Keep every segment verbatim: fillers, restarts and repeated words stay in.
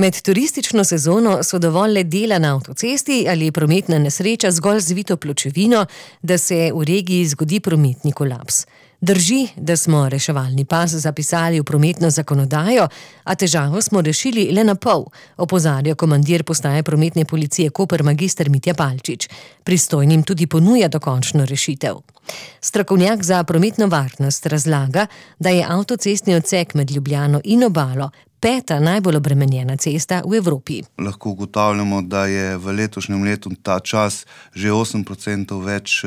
Med turistično sezono so dovolj le dela na avtocesti ali prometna nesreča zgolj zvito pločevino, da se v regiji zgodi prometni kolaps. Drži, da smo reševalni pas zapisali v prometno zakonodajo, a težavo smo rešili le na pol, opozarja komandir postaje prometne policije Koper magister Mitja Palčič. Pristojnim tudi ponuja dokončno rešitev. Strokovnjak za prometno varnost razlaga, da je avtocestni odsek med Ljubljano in Obalo peta najbolj obremenjena cesta v Evropi. Lahko ugotavljamo, da je v letošnjem letu ta čas že osem procentov več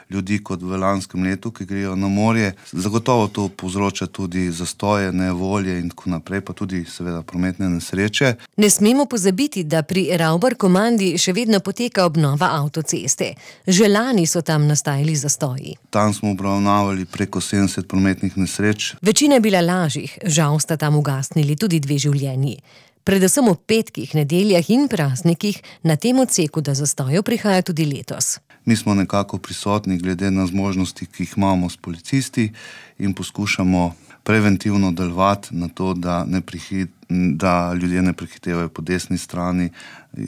ljudi kot v lanskem letu, ki grejo na morje. Zagotovo to povzroča tudi zastoje, nevolje in tako naprej, pa tudi seveda prometne nesreče. Ne smemo pozabiti, da pri Ravbar komandi še vedno poteka obnova avtoceste. Že lani so tam nastajali zastoji. Tam smo obravnavali preko sedemdeset prometnih nesreč. Večina je bila lažjih, žal sta tam ugasnili tudi dve življenji. Predvsem v petkih, nedeljah in praznikih na tem odseku do zastojev prihaja tudi letos. Mi smo nekako prisotni glede na zmožnosti, ki jih imamo s policisti in poskušamo preventivno delovati na to, da, ne prihit, da ljudje ne prehitevajo po desni strani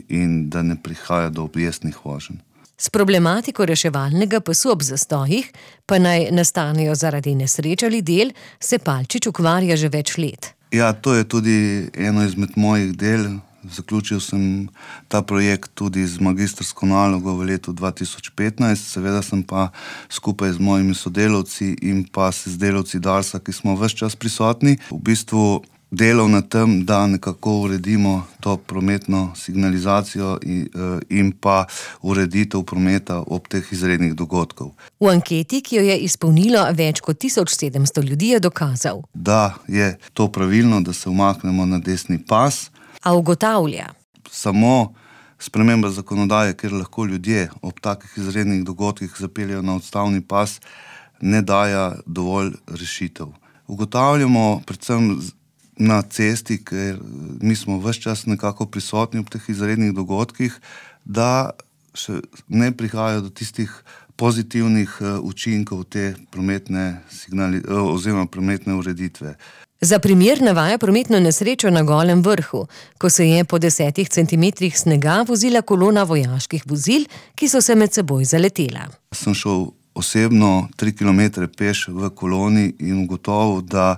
in da ne prihaja do objestnih voženj. S problematiko reševalnega pasu ob zastojih, pa naj nastanejo zaradi nesreč ali del, se Palčič ukvarja že več let. Ja, to je tudi eno izmed mojih del. Zaključil sem ta projekt tudi z magistrsko nalogo v letu dva tisoč petnajst, seveda sem pa skupaj z mojimi sodelavci in pa s delavci Darsa, ki smo ves čas prisotni, v bistvu delal na tem, da nekako uredimo to prometno signalizacijo in, in pa ureditev prometa ob teh izrednih dogodkov. V anketi, ki jo je izpolnilo več kot tisoč sedemsto ljudi, je dokazal, da je to pravilno, da se umaknemo na desni pas. A ugotavlja. Samo sprememba zakonodaje, kjer lahko ljudje ob takih izrednih dogodkih zapeljejo na odstavni pas, ne daja dovolj rešitev. Ugotavljamo predvsem na cesti, ker mi smo ves čas nekako prisotni ob teh izrednih dogodkih, da še ne prihajajo do tistih pozitivnih učinkov te prometne signali, oziroma prometne ureditve. Za primer navaja prometno nesrečo na Golem vrhu, ko se je po desetih centimetrih snega vozila kolona vojaških vozil, ki so se med seboj zaletela. Sem šel osebno tri kilometre peš v koloni in ugotovil, da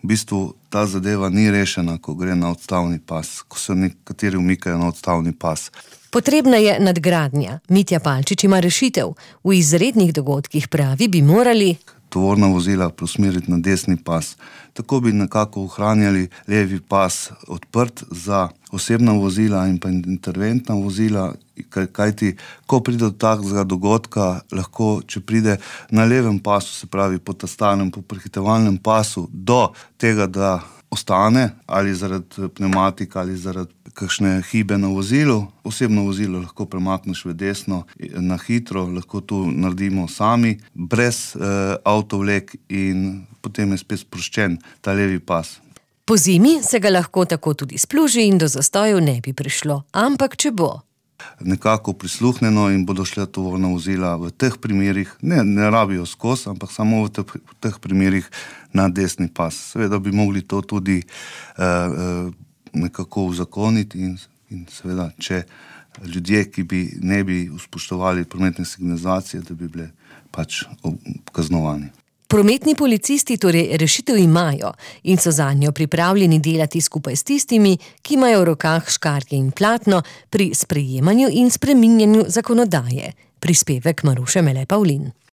v bistvu ta zadeva ni rešena, ko gre na odstavni pas, ko se nekateri umikajo na odstavni pas. Potrebna je nadgradnja. Mitja Palčič ima rešitev. V izrednih dogodkih pravi, bi morali tovorna vozila preusmeriti na desni pas. Tako bi nekako ohranjali levi pas odprt za osebna vozila in pa interventna vozila, kajti ko pride do takega dogodka, lahko, če pride na levem pasu, se pravi po tastanem, po prehitevalnem pasu, do tega, da ostane, ali zaradi pneumatika, ali zaradi kakšne hibe na vozilu. Osebno vozilo lahko premakneš v desno na hitro, lahko to naredimo sami, brez eh, avtovlek in potem je spet sproščen ta levi pas. Po zimi se ga lahko tako tudi spluži in do zastojev ne bi prišlo, ampak če bo nekako prisluhneno in bodo šle tovorna vozila v teh primerih, ne, ne rabijo skozi, ampak samo v teh, v teh primerih na desni pas. Seveda bi mogli to tudi eh, nekako uzakoniti in, in seveda, če ljudje, ki bi ne bi spoštovali prometne signalizacije, da bi bile pač kaznovani. Prometni policisti torej rešitev imajo in so zanjo pripravljeni delati skupaj s tistimi, ki imajo v rokah škarje in platno pri sprejemanju in spreminjanju zakonodaje. Prispevek Maruše Mele Pavlin.